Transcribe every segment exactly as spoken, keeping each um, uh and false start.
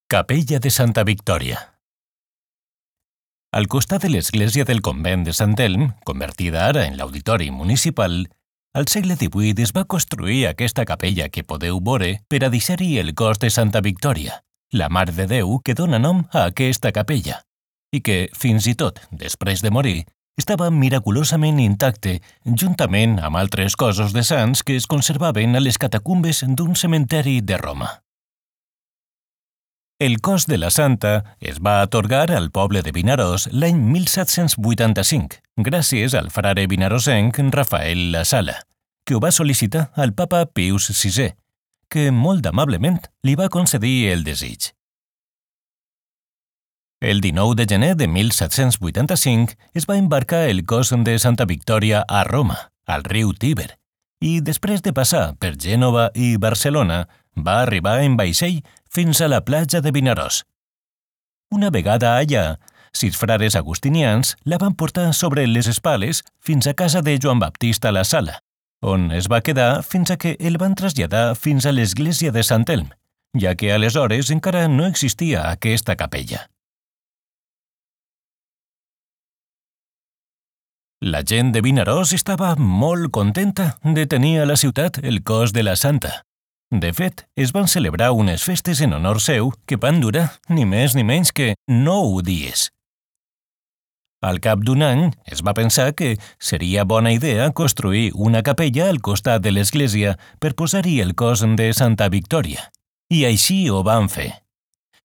Capella de Santa Victòria. Al costat de l'església del convent de Sant Elm, convertida ara en l'auditori municipal, al segle divuit es va construir aquesta capella que podeu veure per a deixar-hi el cos de Santa Victòria, la Mare de Déu que dona nom a aquesta capella, i que, fins i tot després de morir, estava miraculosament intacte juntament amb altres cossos de sants que es conservaven a les catacumbes d'un cementeri de Roma. El cos de la santa es va atorgar al poble de Vinaròs l'any mil set-cents vuitanta-cinc, gràcies al frare vinarosenc Rafael La Sala, que ho va sol·licitar al papa Pius sisè, que molt amablement li va concedir el desig. El dinou de gener de mil set-cents vuitanta-cinc es va embarcar el cos de Santa Victòria a Roma, al riu Tíber, i després de passar per Gènova i Barcelona, va arribar en vaixell fins a la platja de Vinaròs. Una vegada allà, sis frares agustinians la van portar sobre les espales fins a casa de Joan Baptista La Sala, on es va quedar fins a que el van traslladar fins a l'església de Sant Elm, ja que aleshores encara no existia aquesta capella. La gent de Vinaròs estava molt contenta de tenir a la ciutat el cos de la santa. De fet, es van celebrar unes festes en honor seu que van durar ni més ni menys que nou dies. Al cap d'un any, es va pensar que seria bona idea construir una capella al costat de l'església per posar-hi el cos de Santa Victòria, i així ho van fer.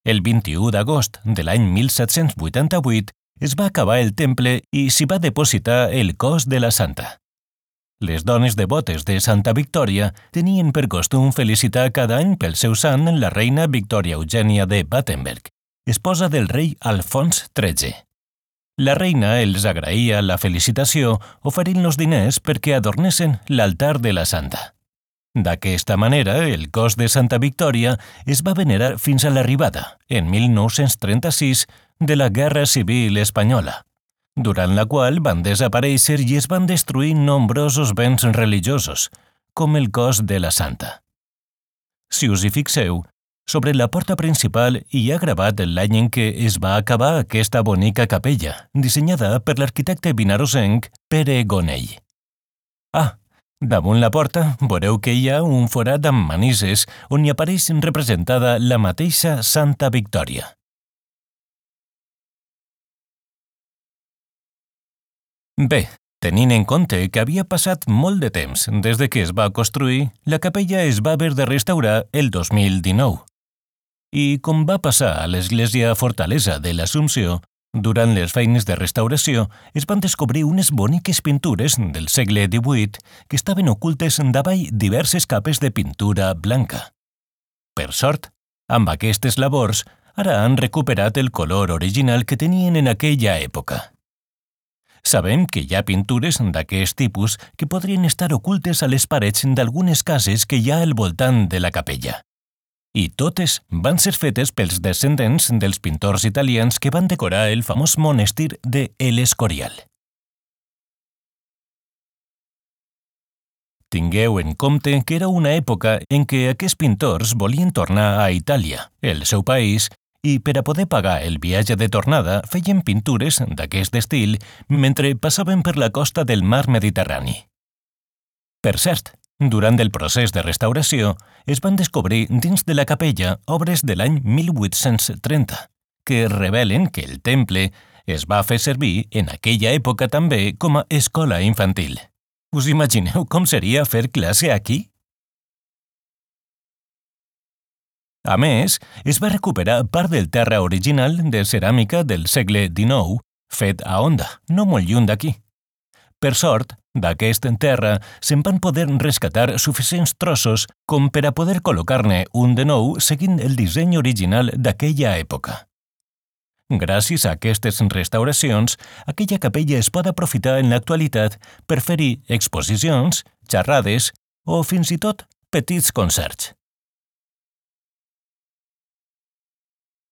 El vint-i-u d'agost de l'any mil set-cents vuitanta-vuit es va acabar el temple i s'hi va depositar el cos de la santa. Les dones devotes de Santa Victòria tenien per costum felicitar cada any pel seu sant la reina Victòria Eugènia de Battenberg, esposa del rei Alfons tretze. La reina els agraïa la felicitació oferint-los diners perquè adornessin l'altar de la santa. D'aquesta manera, el cos de Santa Victòria es va venerar fins a l'arribada, en mil nou-cents trenta-sis, de la Guerra Civil Espanyola, durant la qual van desaparèixer i es van destruir nombrosos béns religiosos, com el cos de la santa. Si us hi fixeu, sobre la porta principal hi ha gravat l'any en què es va acabar aquesta bonica capella, dissenyada per l'arquitecte vinarosenc Pere Gonell. Ah, damunt la porta veureu que hi ha un forat amb manises on hi apareix representada la mateixa Santa Victòria. Bé, tenint en compte que havia passat molt de temps des de que es va construir, la capella es va haver de restaurar el dos mil dinou. I com va passar a l'església Fortalesa de l'Assumpció, durant les feines de restauració es van descobrir unes boniques pintures del segle divuit que estaven ocultes davall diverses capes de pintura blanca. Per sort, amb aquestes labors, ara han recuperat el color original que tenien en aquella època. Sabem que hi ha pintures d'aquest tipus que podrien estar ocultes a les parets d'algunes cases que hi ha al voltant de la capella. I totes van ser fetes pels descendents dels pintors italians que van decorar el famós monestir de El Escorial. Tingueu en compte que era una època en què aquests pintors volien tornar a Itàlia, el seu país, i per a poder pagar el viatge de tornada feien pintures d'aquest estil mentre passaven per la costa del mar Mediterrani. Per cert, durant el procés de restauració es van descobrir dins de la capella obres de l'any mil vuit-cents trenta, que revelen que el temple es va fer servir en aquella època també com a escola infantil. Us imagineu com seria fer classe aquí? A més, es va recuperar part del terra original de ceràmica del segle dinou, fet a Onda, no molt lluny d'aquí. Per sort, d'aquest terra se'n van poder rescatar suficients trossos com per a poder col·locar-ne un de nou seguint el disseny original d'aquella època. Gràcies a aquestes restauracions, aquella capella es pot aprofitar en l'actualitat per fer-hi exposicions, xerrades o fins i tot petits concerts.